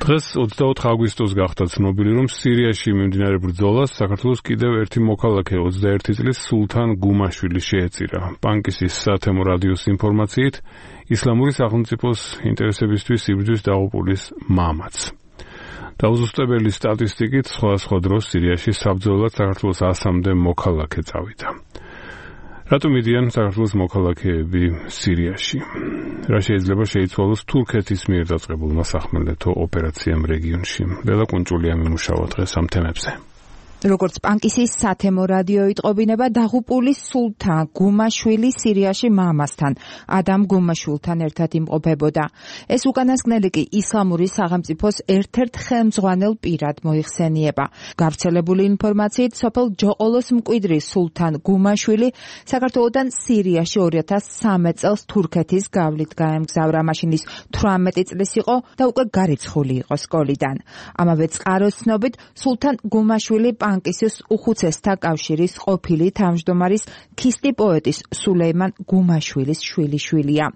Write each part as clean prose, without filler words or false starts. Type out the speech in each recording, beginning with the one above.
დღეს 24 აგვისტოს გახდა ცნობილი, რომ სირიაში მიმდინარე ბრძოლას საქართველოს კიდევ ერთი მოქალაქე 21 წლის სულთან გუმაშვილი შეეწირა. პანკისის სათემო რადიოს ინფორმაციით, ისლამური სახელმწიფოს ინტერესებისთვის იბრძვის დაღუპულის მამაც. დაუზუსტებელი სტატისტიკით სხვადასხვა დროს სირიაში საბრძოლოდ საქართველოს 100-მდე მოქალაქე წავიდა. რატომ მიდიან საქართველოს მოქალაქეები სირიაში? რა შეიძლება შეიცვალოს თურქეთის მიერ დაწყებულმა სახმელეთო ოპერაციამ რეგიონში? ლელა კუნჭულია მიმუშავა დღეს ამ თემებზე. როგორც პანკისის სათემო რადიო იტყობინება, დაღუპულის სულთან გუმაშვილი სირიაში მამასთან, ადამ გუმაშვილთან ერთად იმყოფებოდა. ეს უკანასკნელი კი ისლამური სახელმწიფოს ერთ-ერთ ხელმძღვანელ პირად მოიხსენიება. გავრცელებული ინფორმაციით, სოფელ ჯოყოლოს მკვიდრი სულთან გუმაშვილი საქართველოდან სირიაში 2013 წელს თურქეთის გავლით გაემგზავრა. მაშინ ის 18 წლის იყო და უკვე გარიცხული იყო სკოლიდან. ამავე წყაროს ცნობით, სულთან გუმაშვილი პანკისის უხუცესთა კავშირის ყოფილი თავმჯდომარის ქისტი პოეტის სულეიმან გუმაშვილის შვილიშვილია.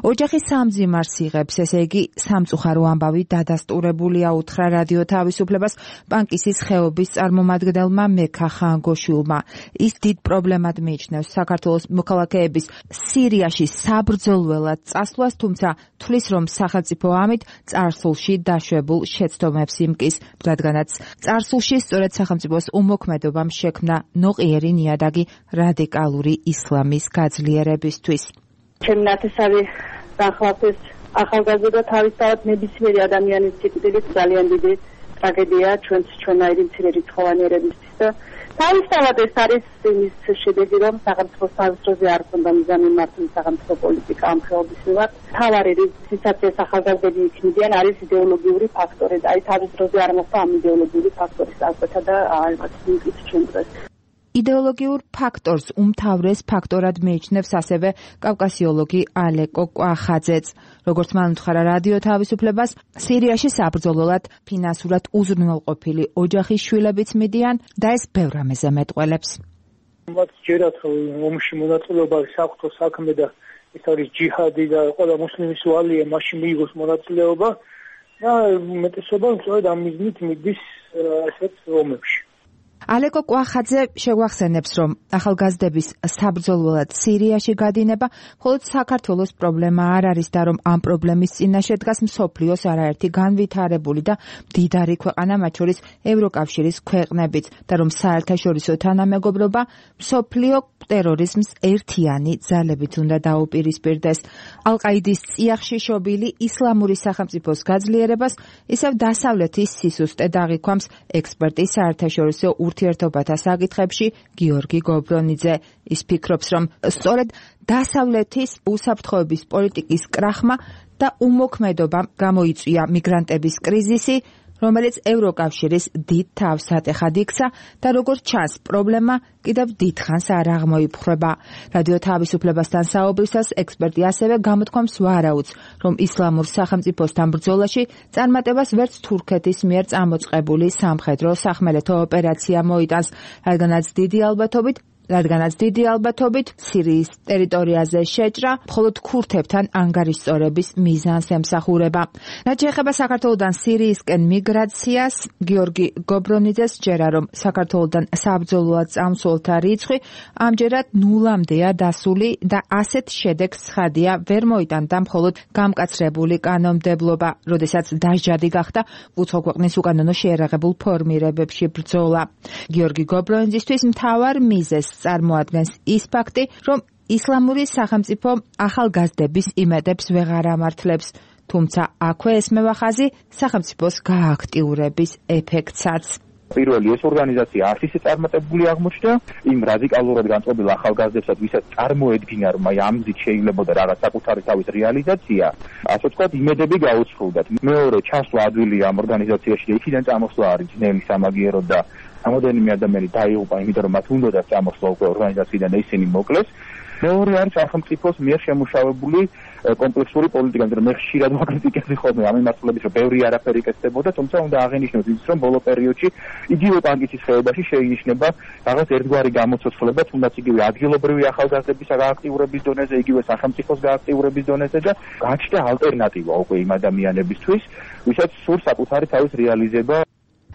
ოჯახი სამძიმარს იღებს, ესე იგი სამწუხარო ამბავი დადასტურებულია, უთხრა რადიო თავისუფლებას პანკისის ხეობის წარმომადგენელმა მექა ხანგოშვილმა. ის დიდ პრობლემად მიიჩნევს საქართველოს მოქალაქეების სირიაში საბრძოლველად წასვლას, თუმცა თვლის, რომ სახელმწიფო ამით წარსულში დაშვებულ შეცდომებს იმკის, რადგანაც წარსულში სწორედ სახელმწიფოს უმოქმედობამ შექმნა ნოყიერი ნიადაგი რადიკალური ისლამის გაძლიერებისთვის. ჩემი ნათესავი დახლავდეს ახალგაზრდა თავისთავად ნებისმიერი ადამიანის სიკვდილით ძალიან დიდი ტრაგედია ჩვენაირი მცირერიცხოვანი ერებისთვის და თავისთავად ეს არის იმის შედეგი, რომ სახელმწიფოს თავისუფლზე არ ქონდა მიზანი მართული სახელმწიფო პოლიტიკა ამ ხეობის მიმართ. მთავარი რისაცაც ახალგაზრდები იქნებიან არის იდეოლოგიური ფაქტორი და აი თავისუფლზე არ მოხდა ამ იდეოლოგიური ფაქტორის აღკვეთა და ალბათ იმით ჩვენ დღეს იდეოლოგიურ ფაქტორს უმთავრეს ფაქტორად მიიჩნევს ასევე კავკასიოლოგი ალეკო კვახაძეც. როგორც მან უთხრა რადიო თავისუფლებას, სირიაში საბრძოლოდ ფინანსურად უზრუნველყოფილი ოჯახის შვილებიც მიდიან და ეს ბევრ რამეზე მეტყველებს. მათ ჯერათ ომში მონაწილეობა საერთო საქმე და ეს არის ჯიჰადი და ყველა მუსლიმის ვალია მაშინ მიიღოს მონაწილეობა და მეტესობა სწორედ ამ მიზნით მიდის ასეთ ომებში. ალეკო კვახაძე შეგვახსენებს, რომ ახალგაზრდების საბრძოლველად სირიაში გადინება მხოლოდ საქართველოს პრობლემა არ არის და რომ ამ პრობლემის წინაშე დგას მსოფლიოს არაერთი განვითარებული და მდიდარი ქვეყანა, მათ შორის ევროკავშირის ქვეყნებიც, და რომ საერთაშორისო თანამეგობრობა მსოფლიო ტერორიზმს ერთიანი ძალებით უნდა დაუპირისპირდეს. ალ-ყაიდის წიაღში შობილი ისლამური სახელმწიფოს გაძლიერებას ისევ დასავლეთის სისუსტე დაღიქვამს ექსპერტი საერთაშორისო ურთიერთობათა საკითხებში გიორგი გობრონიძე. ის ფიქრობს, რომ სწორედ დასავლეთის უსაფრთხოების პოლიტიკის კრახმა და უმოქმედობამ გამოიწვია მიგრანტების კრიზისი, რომელიც ევროკავშირის დიდ თავს ატეხად იქცა და როგორც ჩანს, პრობლემა კიდევ დიდხანს არ აღმოიფხვრება. რადიო თავისუფლებასთან საუბრისას ექსპერტი ასევე გამოთქვამს ვარაუდს, რომ ისლამურ სახელმწიფოსთან ბრძოლაში წარმატებას ვერც თურქეთის მიერ წამოწყებული სამხედრო სახმელეთო ოპერაცია მოიტანს, რადგანაც დიდი ალბათობით სირიის ტერიტორიაზე შეჭრა მხოლოდ ქურთებთან ანგარიშწორების მიზანს ემსახურება. რაც შეეხება საქართველოდან სირიისკენ მიგრაციას, გიორგი გობრონიძეს სჯერა, რომ საქართველოდან საბრძოლოდ წამსვლელთა რიცხვი ამჯერად ნულამდეა დასული და ასეთ შედეგს ცხადია ვერ მოიტანდა მხოლოდ გამკაცრებული კანონმდებლობა, როდესაც დასჯადი გახდა უცხო ქვეყნის უკანონო შეიარაღებულ ფორმირებებში ბრძოლა. გიორგი გობრონიძისთვის მთავარ მიზეზს წარმოადგენს ის ფაქტი, რომ ისლამური სახელმწიფო ახალგაზრდების იმედებს ვეღარ ამართლებს, თუმცა აქვე ესმევა ხაზი სახელმწიფოს გააქტიურების ეფექტსაც. პირველი ეს ორგანიზაცია არც ისე წარმატებული აღმოჩნდა იმ რადიკალურად განწყობილ ახალგაზრდებსაც, ვისაც წარმოედგინა, რომ აი ამ გზით შეიძლებოდა რაღაც საკუთარი თავის რეალიზაცია, ასე ვთქვათ, იმედები გაუცხლდათ. მეორე ჩასვლა ადვილია ამ ორგანიზაციაში და იქიდან წამოსვლა არის ძნელი სამაგიეროდ და ამოდენიმე ადამიანი დაიღუპა, იმიტომ რომ მათ უნდოდა წამოსვლა უკვე ორგანიზაციიდან და ისინი მოკლეს. მეორე არის სახელმწიფოს მიერ შემუშავებული კომპლექსური პოლიტიკა, მაგრამ მე ხშირად ვაკრიტიკებდი ხოლმე ამ მიმართულებით, რომ ბევრი არაფერი კეთდებოდა, თუმცა უნდა აღინიშნოთ ის, რომ ბოლო პერიოდში იგივე პანკისის ხეობაში შეინიშნება რაღაც ერთგვარი გამოცოცხლება, თუნდაც იგივე ადგილობრივი ახალგაზრდების გააქტიურების დონეზე, იგივე სახელმწიფოს გააქტიურების დონეზე და გაჩნდა ალტერნატივა უკვე იმ ადამიანებისთვის, ვისაც სურს საკუთარი თავის რეალიზება.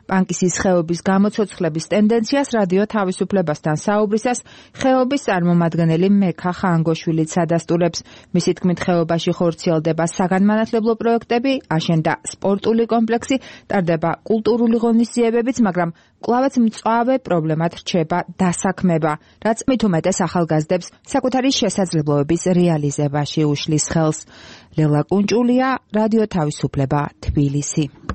პანკისის ხეობის გამოცოცხლების ტენდენციას რადიო თავისუფლებასთან საუბრისას ხეობის წარმომადგენელი მექა ხანგოშვილიც ადასტურებს. მისი თქმით, ხეობაში ხორციელდება საგანმანათლებლო პროექტები, აშენდა სპორტული კომპლექსი, ტარდება კულტურული ღონისძიებებიც, მაგრამ კვლავაც მწვავე პრობლემად რჩება დასაქმება, რაც მით უმეტეს ახალგაზრდებს საკუთარი შესაძლებლობების რეალიზებაში უშლის ხელს. ლელა კუნჭულია, რადიო თავისუფლება, თბილისი.